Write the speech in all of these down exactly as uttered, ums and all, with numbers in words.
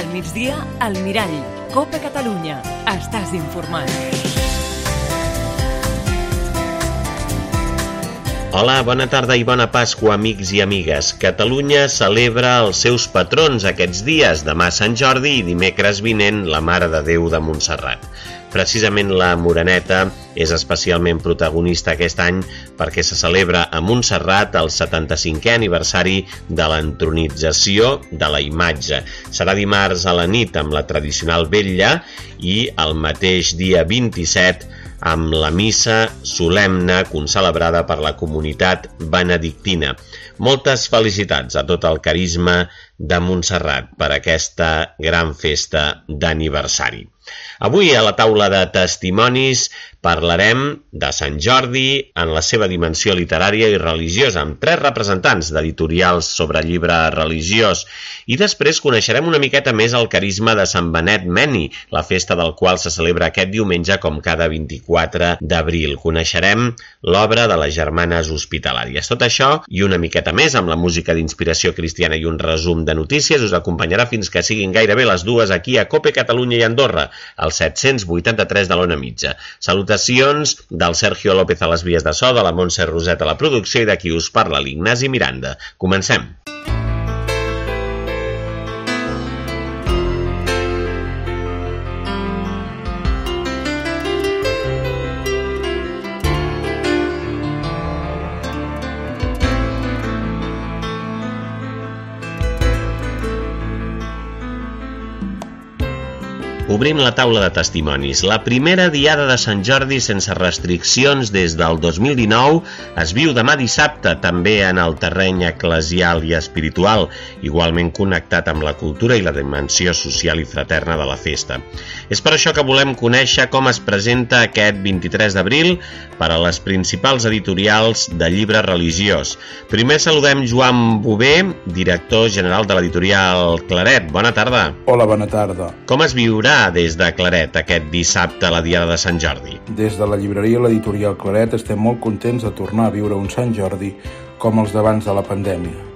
Al migdia, al Mirall. Copa Catalunya. Estàs informat. Hola, bona tarda i bona Pasqua, amics i amigues. Catalunya celebra els seus patrons aquests dies, demà Sant Jordi i dimecres vinent la Mare de Déu de Montserrat. Precisament la Moreneta és especialment protagonista aquest any perquè se celebra a Montserrat el setanta-cinquè aniversari de l'entronització de la imatge. Serà dimarts a la nit amb la tradicional vetlla i el mateix dia vint-i-set amb la missa solemne concelebrada per la comunitat benedictina. Moltes felicitats a tot el carisma de Montserrat per aquesta gran festa d'aniversari. Avui a la taula de testimonis parlarem de Sant Jordi en la seva dimensió literària i religiosa, amb tres representants d'editorials sobre llibre religiós. I després coneixerem una miqueta més el carisma de Sant Benet Meni, la festa del qual se celebra aquest diumenge com cada vint-i-quatre d'abril. Coneixerem l'obra de les Germanes Hospitalàries. Tot això i una miqueta més amb la música d'inspiració cristiana i un resum de notícies us acompanyarà fins que siguin gairebé les dues aquí a Cope Catalunya i Andorra, al set-cents vuitanta-tres de l'Ona Mitja. Salutacions del Sergio López a les vies de so, de la Montse Roset a la producció i de qui us parla, l'Ignasi Miranda. Comencem. Obrim la taula de testimonis. La primera diada de Sant Jordi sense restriccions des del dos mil dinou es viu demà dissabte, també en el terreny eclesial i espiritual, igualment connectat amb la cultura i la dimensió social i fraterna de la festa. És per això que volem conèixer com es presenta aquest vint-i-tres d'abril per a les principals editorials de llibre religiós. Primer saludem Joan Bové, director general de l'editorial Claret. Bona tarda. Hola, bona tarda. Com es viurà des de Claret aquest dissabte a la diada de Sant Jordi? Des de la llibreria l'editorial Claret estem molt contents de tornar a viure un Sant Jordi com els d'abans de la pandèmia.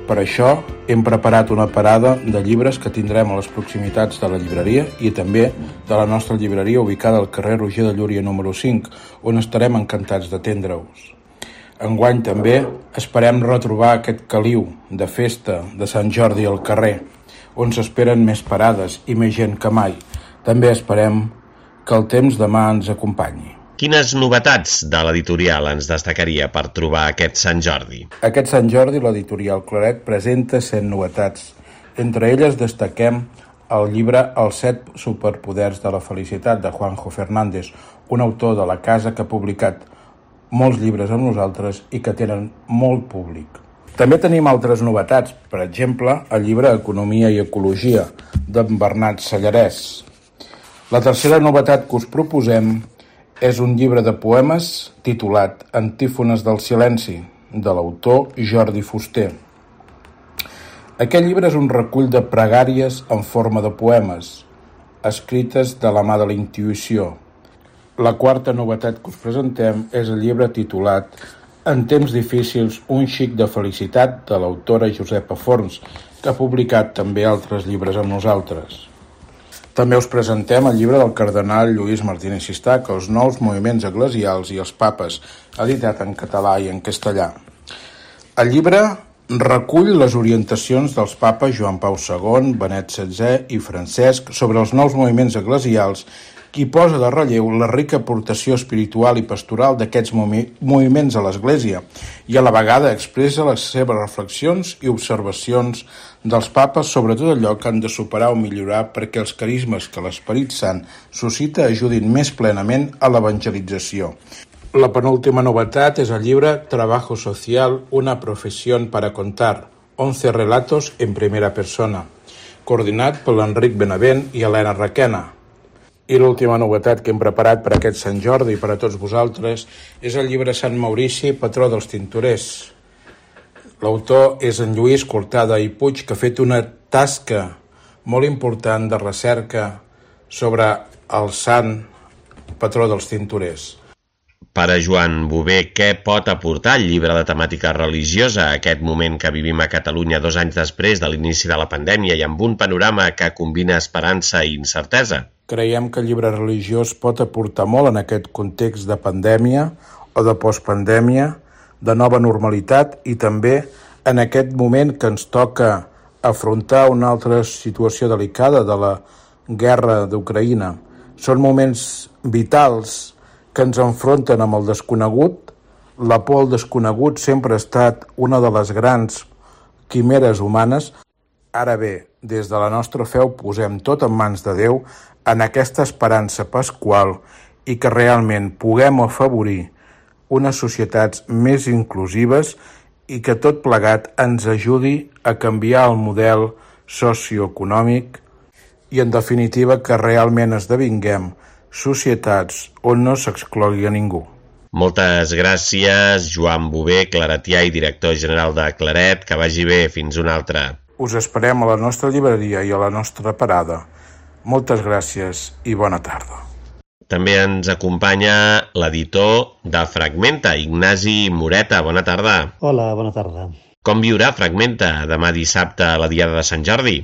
Per això hem preparat una parada de llibres que tindrem a les proximitats de la llibreria i també de la nostra llibreria ubicada al carrer Roger de Llúria número cinc, on estarem encantats d'atendre-us. Enguany també esperem retrobar aquest caliu de festa de Sant Jordi al carrer, on s'esperen més parades i més gent que mai. També esperem que el temps demà ens acompanyi. Quines novetats de l'editorial ens destacaria per trobar aquest Sant Jordi? Aquest Sant Jordi l'editorial Claret presenta cent novetats. Entre elles destaquem el llibre Els set superpoders de la felicitat de Juanjo Fernández, un autor de la casa que ha publicat molts llibres amb nosaltres i que tenen molt públic. També tenim altres novetats, per exemple, el llibre Economia i Ecologia, d'en Bernat Sallarès. La tercera novetat que us proposem és un llibre de poemes titulat Antífones del silenci, de l'autor Jordi Fuster. Aquest llibre és un recull de pregàries en forma de poemes, escrites de la mà de la intuïció. La quarta novetat que us presentem és el llibre titulat En temps difícils, un xic de felicitat, de l'autora Josepa Forns, que ha publicat també altres llibres amb nosaltres. També us presentem el llibre del cardenal Lluís Martínez Sistac, Els nous moviments eclesials i els papes, editat en català i en castellà. El llibre recull les orientacions dels papes Joan Pau segon, Benet setzè i Francesc sobre els nous moviments eclesials i posa de relleu la rica aportació espiritual i pastoral d'aquests moviments a l'Església i a la vegada expressa les seves reflexions i observacions dels papes sobre tot allò que han de superar o millorar perquè els carismes que l'Esperit Sant suscita ajudin més plenament a l'evangelització. La penúltima novetat és el llibre Trabajo Social, una profesión para contar, once relatos en primera persona, coordinat per l'Enric Benavent i Helena Requena. I l'última novetat que hem preparat per aquest Sant Jordi i per a tots vosaltres és el llibre Sant Maurici, patró dels tintorers. L'autor és en Lluís Cortada i Puig, que ha fet una tasca molt important de recerca sobre el sant patró dels tintorers. Per a Joan Bové, què pot aportar el llibre de temàtica religiosa a aquest moment que vivim a Catalunya dos anys després de l'inici de la pandèmia i amb un panorama que combina esperança i incertesa? Creiem que el llibre religiós pot aportar molt en aquest context de pandèmia o de postpandèmia, de nova normalitat i també en aquest moment que ens toca afrontar una altra situació delicada de la guerra d'Ucraïna. Són moments vitals que ens enfronten amb el desconegut. La por al desconegut sempre ha estat una de les grans quimeres humanes. Ara bé, des de la nostra fe ho posem tot en mans de Déu en aquesta esperança pasqual i que realment puguem afavorir unes societats més inclusives i que tot plegat ens ajudi a canviar el model socioeconòmic i, en definitiva, que realment esdevinguem societats on no s'exclogui a ningú. Moltes gràcies, Joan Bové, claretià i director general de Claret. Que vagi bé. Fins una altra. Us esperem a la nostra llibreria i a la nostra parada. Moltes gràcies i bona tarda. També ens acompanya l'editor de Fragmenta, Ignasi Moreta. Bona tarda. Hola, bona tarda. Com viurà Fragmenta demà dissabte a la Diada de Sant Jordi?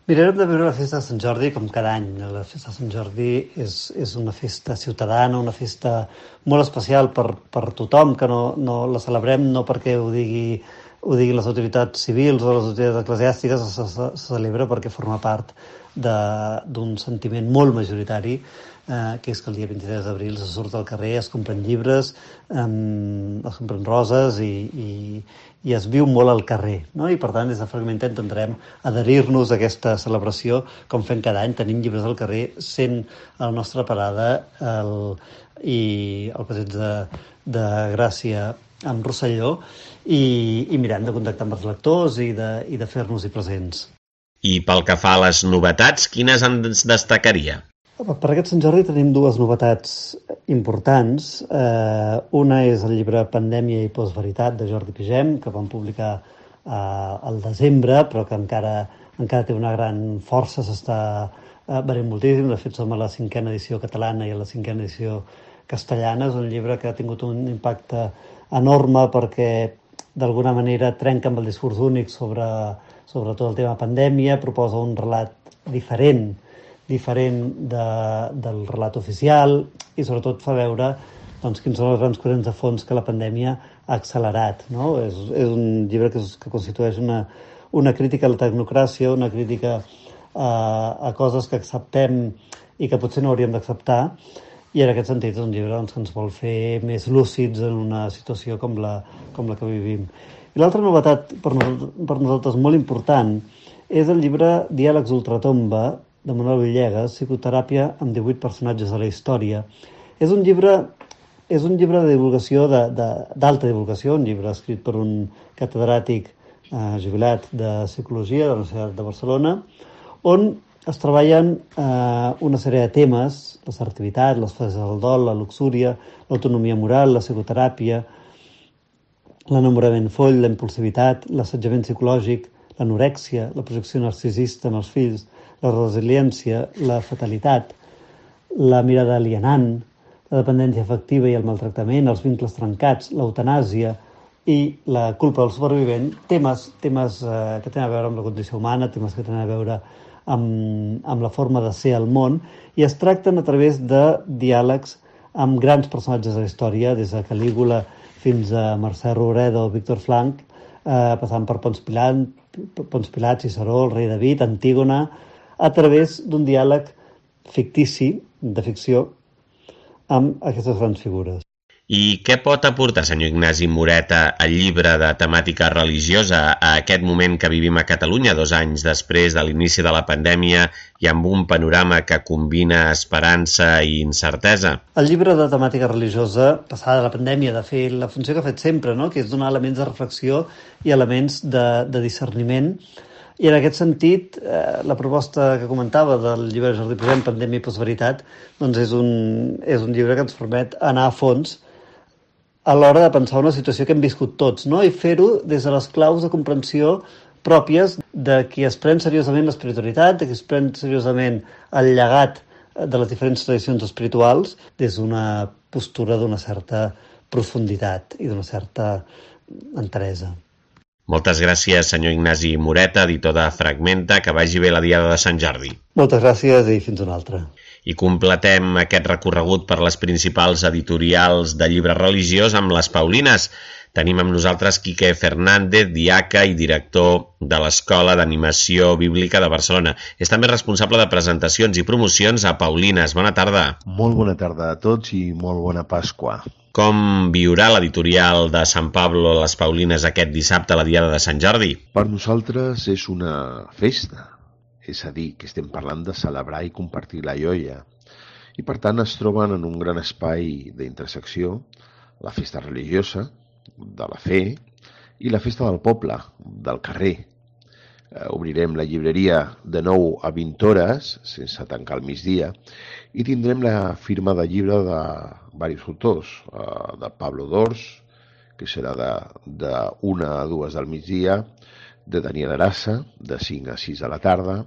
Mirarem de viure la festa de Sant Jordi com cada any. La festa de Sant Jordi és, és una festa ciutadana, una festa molt especial per, per tothom, que no, no la celebrem no perquè ho digui, ho digui les autoritats civils o les autoritats eclesiàstiques, se, se, se celebra perquè forma part d'un sentiment molt majoritari, eh, que és que el dia vint-i-tres d'abril se surt al carrer, es compren llibres, eh, es compren roses i, i, i es viu molt al carrer, no? I per tant des de Fragmenta intentarem adherir-nos a aquesta celebració com fem cada any, tenint llibres al carrer, sent a la nostra parada el, i el passeig de, de Gràcia amb Rosselló i, i mirant de contactar amb els lectors i de, i de fer-nos-hi presents. I pel que fa a les novetats, quines ens destacaria? Per aquest Sant Jordi tenim dues novetats importants. Eh, una és el llibre Pandèmia i postveritat de Jordi Pigem, que vam publicar eh, al desembre, però que encara, encara té una gran força, s'està eh, venent moltíssim. De fet, som a la cinquena edició catalana i a la cinquena edició castellana. És un llibre que ha tingut un impacte enorme perquè d'alguna manera trenca amb el discurs únic sobre, sobre tot el tema pandèmia, proposa un relat diferent diferent de, del relat oficial i sobretot fa veure doncs, quins són els grans corrents de fons que la pandèmia ha accelerat. No? És, és un llibre que, que constitueix una, una crítica a la tecnocràcia, una crítica a, a coses que acceptem i que potser no hauríem d'acceptar, i en aquest sentit és un llibre doncs, que ens vol fer més lúcids en una situació com la, com la que vivim. I l'altra novetat per nosaltres, per nosaltres molt important és el llibre Diàlegs ultratomba de Manuel Villegas, psicoteràpia amb divuit personatges de la història. És un llibre, és un llibre de divulgació, d'alta divulgació, un llibre escrit per un catedràtic eh, jubilat de Psicologia de la Universitat de Barcelona, on es treballen eh, una sèrie de temes, l'assertivitat, les fases del dol, la luxúria, l'autonomia moral, la psicoteràpia, l'enamorament foll, la impulsivitat, l'assetjament psicològic, l'anorèxia, la projecció narcisista en els fills, la resiliència, la fatalitat, la mirada alienant, la dependència afectiva i el maltractament, els vincles trencats, l'eutanàsia i la culpa del supervivent, temes, temes eh, que tenen a veure amb la condició humana, temes que tenen a veure amb, amb la forma de ser al món, i es tracten a través de diàlegs amb grans personatges de la història, des de Calígula fins a Mercè Rodoreda o Víctor Frank, eh, passant per Pons Pilat, Pons Pilat, Ciceró, el rei David, Antígona, a través d'un diàleg fictici, de ficció, amb aquestes grans figures. I què pot aportar, senyor Ignasi Moreta, el llibre de temàtica religiosa a aquest moment que vivim a Catalunya, dos anys després de l'inici de la pandèmia i amb un panorama que combina esperança i incertesa? El llibre de temàtica religiosa, passada de la pandèmia, de fer la funció que ha fet sempre, no? Que és donar elements de reflexió i elements de, de discerniment. I en aquest sentit, eh, la proposta que comentava del llibre de Jordi Pigem, Pandèmia i postveritat, doncs és un, és un llibre que ens permet anar a fons a l'hora de pensar una situació que hem viscut tots, no? I fer-ho des de les claus de comprensió pròpies de qui es pren seriosament l'espiritualitat, de qui es pren seriosament el llegat de les diferents tradicions espirituals, des d'una postura d'una certa profunditat i d'una certa enteresa. Moltes gràcies, senyor Ignasi Moreta, editor de Fragmenta. Que vagi bé la Diada de Sant Jordi. Moltes gràcies i fins una altra. I completem aquest recorregut per les principals editorials de llibre religiós amb les Paulines. Tenim amb nosaltres Quique Fernández, diaca i director de l'Escola d'Animació Bíblica de Barcelona. És també responsable de presentacions i promocions a Paulines. Bona tarda. Molt bona tarda a tots i molt bona Pasqua. Com viurà l'editorial de Sant Pablo les Paulines aquest dissabte a la Diada de Sant Jordi? Per nosaltres és una festa, és a dir, que estem parlant de celebrar i compartir la joia. I per tant es troben en un gran espai d'intersecció la festa religiosa, de la fe, i la festa del poble, del carrer. Eh, obrirem la llibreria de nou a vint hores, sense tancar al migdia, i tindrem la firma de llibre de diversos autors, eh, de Pablo Dors, que serà de, de una a dues del migdia, de Daniel Arasa, de cinc a sis de la tarda,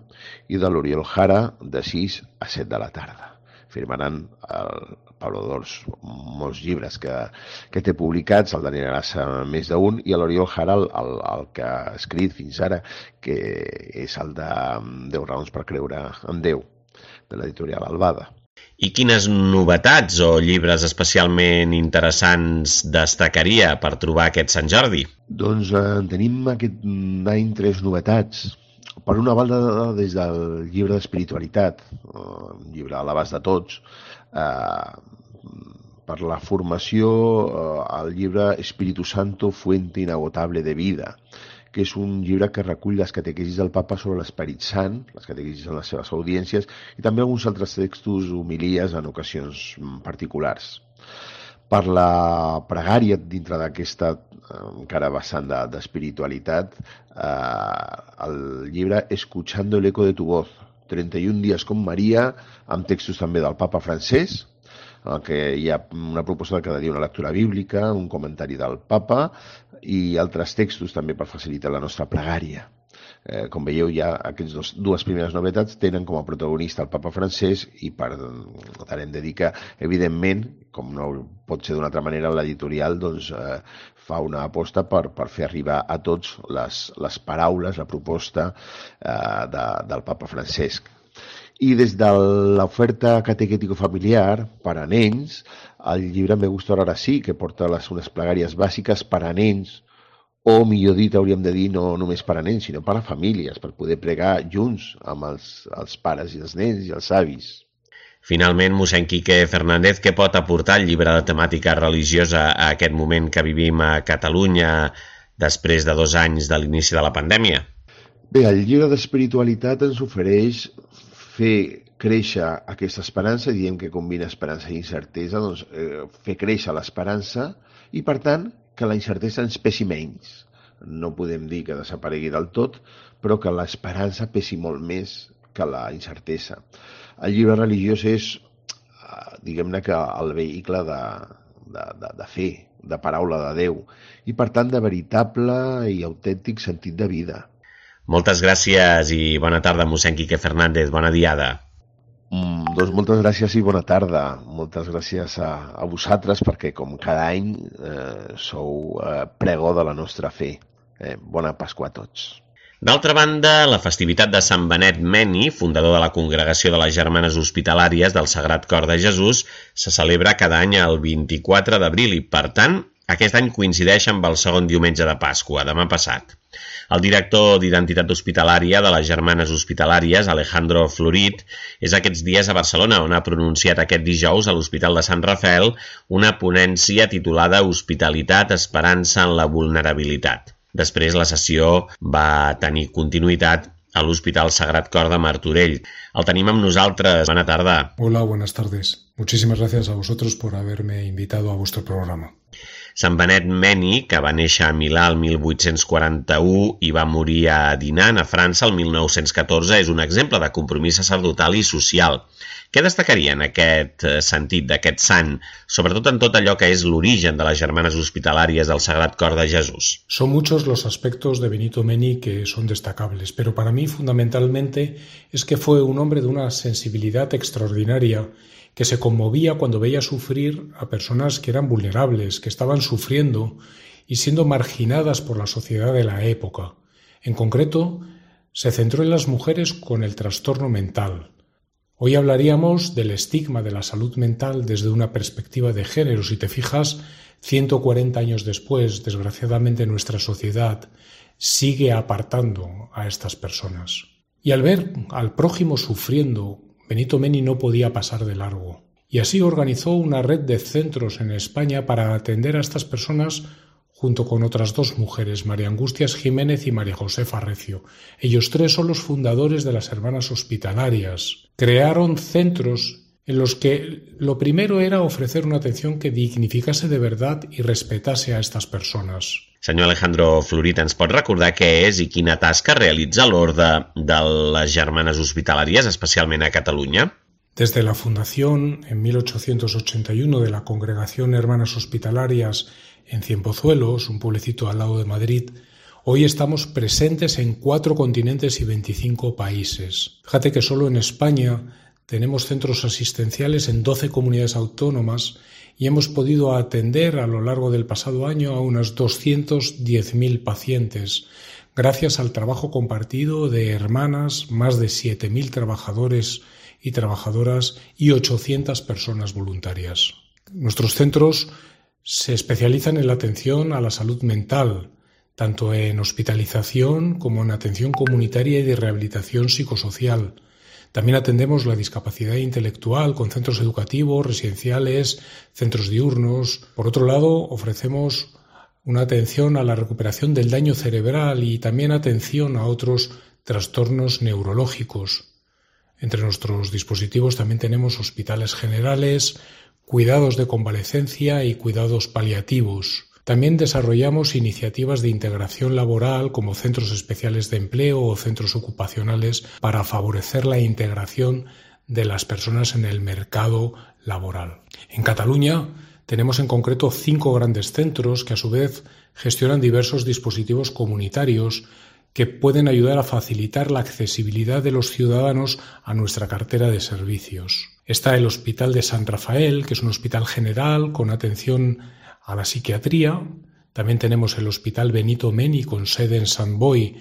i de l'Oriol Jara, de sis a set de la tarda. Firmaran el Pablo Dors molts llibres que, que té publicats, el Daniel Arasa més d'un, i l'Oriol Jara el, el, el que ha escrit fins ara, que és el de deu raons per creure en Déu, de l'editorial Albada. I quines novetats o llibres especialment interessants destacaria per trobar aquest Sant Jordi? Doncs eh, tenim aquest any tres novetats. Per una banda, des del llibre d'espiritualitat, un llibre a l'abast de tots, eh, per la formació, eh, el llibre Espíritu Santo, fuente inagotable de vida, que és un llibre que recull les catequesis del Papa sobre l'Esperit Sant, les catequesis en les seves audiències, i també alguns altres textos, homilies en ocasions particulars. Per la pregària, dintre d'aquesta encara vessant d'espiritualitat, eh, el llibre Escuchando el eco de tu voz, trenta i un dies con Maria, amb textos també del Papa francès, en què hi ha una proposta de cada dia una lectura bíblica, un comentari del Papa i altres textos també per facilitar la nostra pregària. Eh, com veieu, ja aquestes dos, dues primeres novetats tenen com a protagonista el Papa francès i per tant hem de dir que, evidentment, com no pot ser d'una altra manera, l'editorial doncs, eh, fa una aposta per, per fer arribar a tots les, les paraules, la proposta eh, de, del Papa Francesc. I des de l'oferta catequètico-familiar per a nens, el llibre Me gusta orar así, que porta les, unes plegàries bàsiques per a nens, o millor dit, hauríem de dir, no només per a nens, sinó per a famílies, per poder pregar junts amb els, els pares i els nens i els avis. Finalment, mossèn Quique Fernández, què pot aportar el llibre de temàtica religiosa a aquest moment que vivim a Catalunya després de dos anys de l'inici de la pandèmia? Bé, el llibre d'espiritualitat ens ofereix fer créixer aquesta esperança, diem que combina esperança i incertesa, doncs eh, fer créixer l'esperança i, per tant, que la incertesa ens pesi menys. No podem dir que desaparegui del tot, però que l'esperança pesi molt més que la incertesa. El llibre religiós és, diguem-ne, que el vehicle de, de, de, de fe, de paraula de Déu, i per tant de veritable i autèntic sentit de vida. Moltes gràcies i bona tarda, mossèn Quique Fernández. Bona diada. Mm, doncs moltes gràcies i bona tarda. Moltes gràcies a, a vosaltres perquè com cada any eh, sou eh, pregó de la nostra fe. Eh, bona Pasqua a tots. D'altra banda, la festivitat de Sant Benet Meni, fundador de la Congregació de les Germanes Hospitalàries del Sagrat Cor de Jesús, se celebra cada any el vint-i-quatre d'abril i, per tant, aquest any coincideix amb el segon diumenge de Pasqua, demà passat. El director d'Identitat Hospitalària de les Germanes Hospitalàries, Alejandro Florit, és aquests dies a Barcelona, on ha pronunciat aquest dijous a l'Hospital de Sant Rafael una ponència titulada Hospitalitat, Esperança en la Vulnerabilitat. Després la sessió va tenir continuïtat a l'Hospital Sagrat Cor de Martorell. El tenim amb nosaltres. Bona tarda. Hola, buenas tardes. Muchísimas gracias a vosotros por haberme invitado a vuestro programa. Sant Benet Meni, que va néixer a Milà el mil vuit-cents quaranta-u i va morir a Dinan, a França, el mil nou-cents catorze, és un exemple de compromís sacerdotal i social. Què destacaria en aquest sentit d'aquest sant, sobretot en tot allò que és l'origen de les Germanes Hospitalàries del Sagrat Cor de Jesús? Son muchos los aspectos de Benito Meni que son destacables, pero para mí fundamentalmente es que fue un hombre de una sensibilidad extraordinaria que se conmovía cuando veía sufrir a personas que eran vulnerables, que estaban sufriendo y siendo marginadas por la sociedad de la época. En concreto, se centró en las mujeres con el trastorno mental. Hoy hablaríamos del estigma de la salud mental desde una perspectiva de género. Si te fijas, ciento cuarenta años después, desgraciadamente nuestra sociedad sigue apartando a estas personas. Y al ver al prójimo sufriendo, Benito Meni no podía pasar de largo. Y así organizó una red de centros en España para atender a estas personas junto con otras dos mujeres, María Angustias Jiménez y María Josefa Recio. Ellos tres son los fundadores de las Hermanas Hospitalarias. Crearon centros en los que lo primero era ofrecer una atención que dignificase de verdad y respetase a estas personas. Senyor Alejandro Florit, ens pot recordar què és i quina tasca realitza l'Orde de les Germanes Hospitalàries, especialment a Catalunya? Desde la fundación en mil ochocientos ochenta y uno de la Congregación Hermanas Hospitalarias en Cienpozuelos, un pueblecito al lado de Madrid, hoy estamos presentes en cuatro continentes y veinticinco países. Fíjate que solo en España tenemos centros asistenciales en doce comunidades autónomas y hemos podido atender a lo largo del pasado año a unos doscientos diez mil pacientes, gracias al trabajo compartido de hermanas, más de siete mil trabajadores y trabajadoras y ochocientas personas voluntarias. Nuestros centros se especializan en la atención a la salud mental, tanto en hospitalización como en atención comunitaria y de rehabilitación psicosocial. También atendemos la discapacidad intelectual con centros educativos, residenciales, centros diurnos. Por otro lado, ofrecemos una atención a la recuperación del daño cerebral y también atención a otros trastornos neurológicos. Entre nuestros dispositivos también tenemos hospitales generales, cuidados de convalecencia y cuidados paliativos. También desarrollamos iniciativas de integración laboral como centros especiales de empleo o centros ocupacionales para favorecer la integración de las personas en el mercado laboral. En Cataluña tenemos en concreto cinco grandes centros que a su vez gestionan diversos dispositivos comunitarios que pueden ayudar a facilitar la accesibilidad de los ciudadanos a nuestra cartera de servicios. Está el Hospital de San Rafael, que es un hospital general con atención a la psiquiatría. También tenemos el Hospital Benito Meni, con sede en Sant Boi,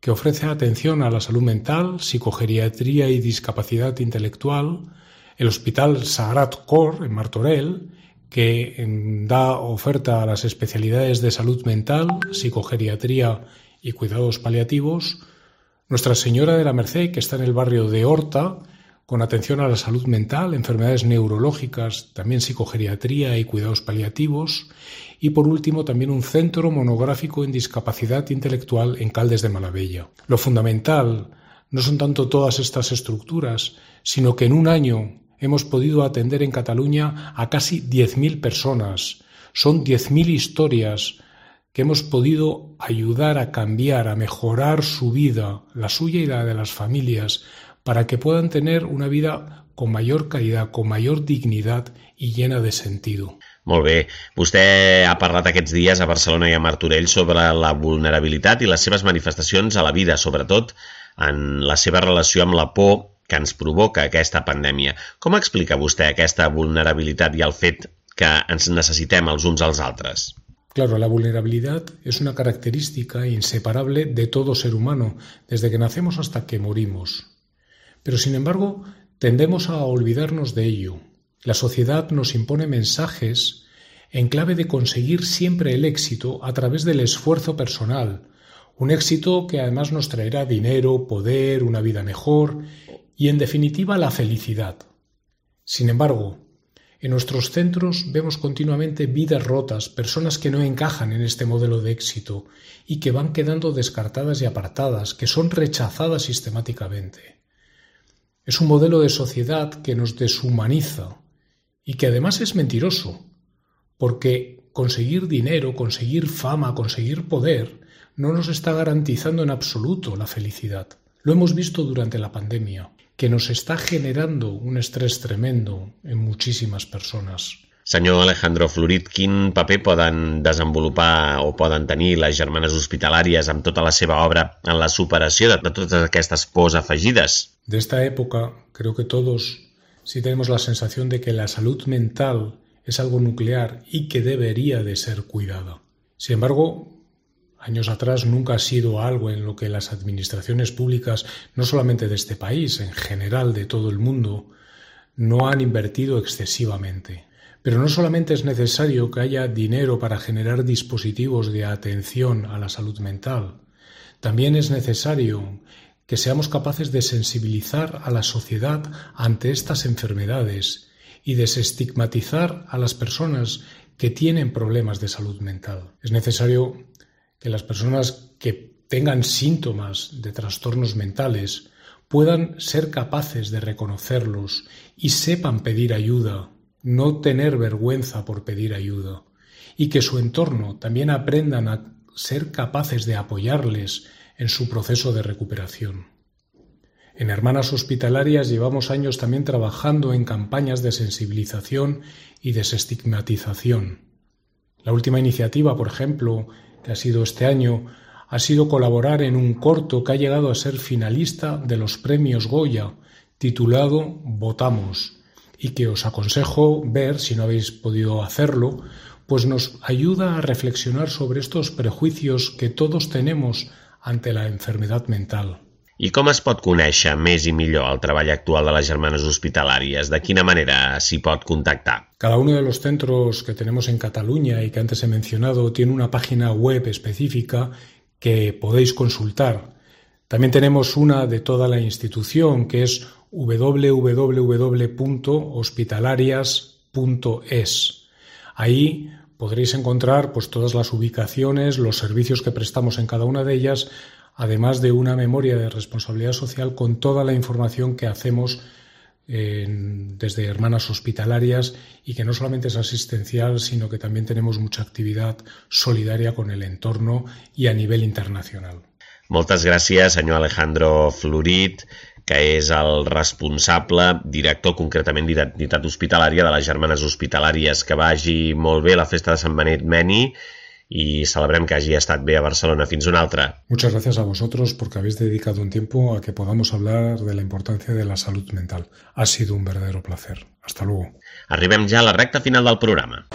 que ofrece atención a la salud mental, psicogeriatría y discapacidad intelectual. El Hospital Sagrat Cor, en Martorell, que da oferta a las especialidades de salud mental, psicogeriatría y cuidados paliativos. Nuestra Señora de la Merced, que está en el barrio de Horta, con atención a la salud mental, enfermedades neurológicas, también psicogeriatría y cuidados paliativos. Y por último, también un centro monográfico en discapacidad intelectual en Caldes de Malavella. Lo fundamental no son tanto todas estas estructuras, sino que en un año hemos podido atender en Cataluña a casi diez mil personas. Son diez mil historias que hemos podido ayudar a cambiar, a mejorar su vida, la suya y la de las familias, para que puedan tener una vida con mayor calidad, con mayor dignidad y llena de sentido. Molt bé. Vostè ha parlat aquests dies a Barcelona i a Martorell sobre la vulnerabilitat i les seves manifestacions a la vida, sobretot en la seva relació amb la por que ens provoca aquesta pandèmia. Com explica vostè aquesta vulnerabilitat i el fet que ens necessitem els uns als altres? Claro, la vulnerabilidad es una característica inseparable de todo ser humano, desde que nacemos hasta que morimos. Pero, sin embargo, tendemos a olvidarnos de ello. La sociedad nos impone mensajes en clave de conseguir siempre el éxito a través del esfuerzo personal, un éxito que además nos traerá dinero, poder, una vida mejor y, en definitiva, la felicidad. Sin embargo, en nuestros centros vemos continuamente vidas rotas, personas que no encajan en este modelo de éxito y que van quedando descartadas y apartadas, que son rechazadas sistemáticamente. Es un modelo de sociedad que nos deshumaniza y que además es mentiroso, porque conseguir dinero, conseguir fama, conseguir poder no nos está garantizando en absoluto la felicidad. Lo hemos visto durante la pandemia. que nos está generando un estrés tremendo en muchísimas personas. Senyor Alejandro Florit, quin paper poden desenvolupar o poden tenir les germanes hospitalàries amb tota la seva obra en la superació de totes aquestes pors afegides? De esta época, creo que todos sí tenemos la sensación de que la salud mental es algo nuclear y que debería de ser cuidada. Sin embargo, años atrás nunca ha sido algo en lo que las administraciones públicas, no solamente de este país, en general de todo el mundo, no han invertido excesivamente. Pero no solamente es necesario que haya dinero para generar dispositivos de atención a la salud mental, también es necesario que seamos capaces de sensibilizar a la sociedad ante estas enfermedades y desestigmatizar a las personas que tienen problemas de salud mental. Es necesario que las personas que tengan síntomas de trastornos mentales puedan ser capaces de reconocerlos y sepan pedir ayuda, no tener vergüenza por pedir ayuda, y que su entorno también aprendan a ser capaces de apoyarles en su proceso de recuperación. En Hermanas Hospitalarias llevamos años también trabajando en campañas de sensibilización y desestigmatización. La última iniciativa, por ejemplo, que ha sido este año, ha sido colaborar en un corto que ha llegado a ser finalista de los premios Goya, titulado Votamos, y que os aconsejo ver si no habéis podido hacerlo, pues nos ayuda a reflexionar sobre estos prejuicios que todos tenemos ante la enfermedad mental. I com es pot conèixer més i millor el treball actual de les germanes hospitalàries? De quina manera s'hi pot contactar? Cada uno de los centros que tenemos en Cataluña y que antes he mencionado tiene una página web específica que podéis consultar. También tenemos una de toda la institución que es doble u doble u doble u punto hospitalarias punto es. Ahí podréis encontrar pues, todas las ubicaciones, los servicios que prestamos en cada una de ellas, además de una memoria de responsabilidad social con toda la información que hacemos eh, desde Hermanas Hospitalarias y que no solamente es asistencial, sino que también tenemos mucha actividad solidaria con el entorno y a nivel internacional. Moltes gràcies, senyor Alejandro Florit, que és el responsable, director concretament d'identitat hospitalària de les germanes hospitalàries. Que vagi molt bé la festa de Sant Benet Meni y celebrem que hagi estat bé a Barcelona. Fins una altra. Muchas gracias a vosotros porque habéis dedicado un tiempo a que podamos hablar de la importancia de la salud mental. Ha sido un verdadero placer. Hasta luego. Arribem ja a la recta final del programa.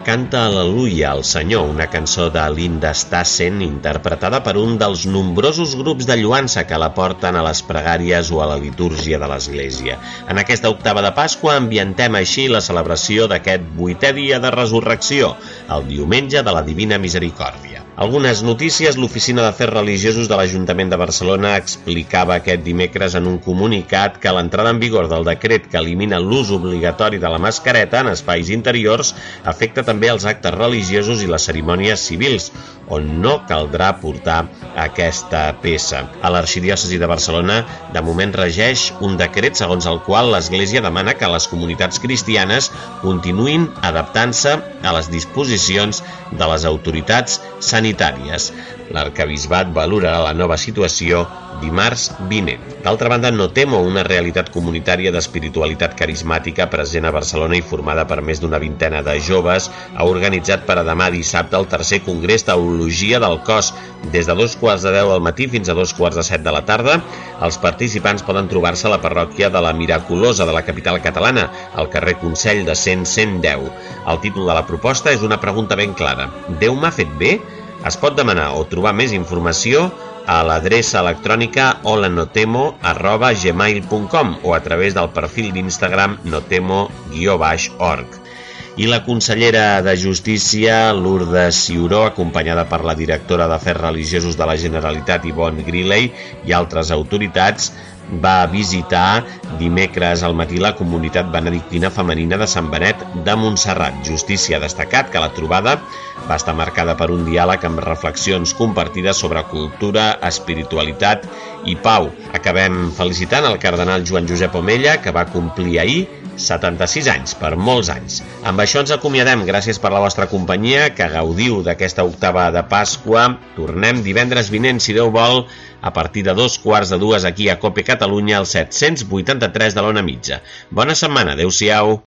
Canta Al·leluia al Senyor, una cançó de Linda Stassen interpretada per un dels nombrosos grups de lloança que la porten a les pregàries o a la litúrgia de l'Església. En aquesta octava de Pasqua ambientem així la celebració d'aquest vuitè dia de resurrecció, el diumenge de la Divina Misericòrdia. Algunes notícies. L'Oficina d'Afers Religiosos de l'Ajuntament de Barcelona explicava aquest dimecres en un comunicat que l'entrada en vigor del decret que elimina l'ús obligatori de la mascareta en espais interiors afecta també els actes religiosos i les cerimònies civils, on no caldrà portar aquesta peça. A l'Arxidiòcesi de Barcelona, de moment regeix un decret segons el qual l'Església demana que les comunitats cristianes continuïn adaptant-se a les disposicions de les autoritats sanitàries. L'arquebisbat valorarà la nova situació dimarts vinent. D'altra banda, Notemo, una realitat comunitària d'espiritualitat carismàtica present a Barcelona i formada per més d'una vintena de joves, ha organitzat per a demà dissabte el tercer congrés Teologia del Cos. Des de dos quarts de deu del matí fins a dos quarts de set de la tarda, els participants poden trobar-se a la parròquia de la Miraculosa de la capital catalana, al carrer Consell de cent cent deu. El títol de la proposta és una pregunta ben clara. Déu m'ha fet bé? Es pot demanar o trobar més informació a l'adreça electrònica holanotemo arroba gmail punt com o a través del perfil d'Instagram notemo guió baix org. I la consellera de Justícia, Lourdes Ciuró, acompanyada per la directora d'Afers Religiosos de la Generalitat, Yvonne Griley, i altres autoritats, va visitar dimecres al matí la comunitat benedictina femenina de Sant Benet de Montserrat. Justícia ha destacat que la trobada va estar marcada per un diàleg amb reflexions compartides sobre cultura, espiritualitat i pau. Acabem felicitant el cardenal Joan Josep Omella, que va complir ahir setanta-sis anys, per molts anys. Amb això ens acomiadem, gràcies per la vostra companyia, que gaudiu d'aquesta octava de Pasqua. Tornem divendres vinent, si Déu vol, a partir de dos quarts de dues aquí a Cope Catalunya, al set-cents vuitanta-tres de l'Ona Mitja. Bona setmana, adeu-siau.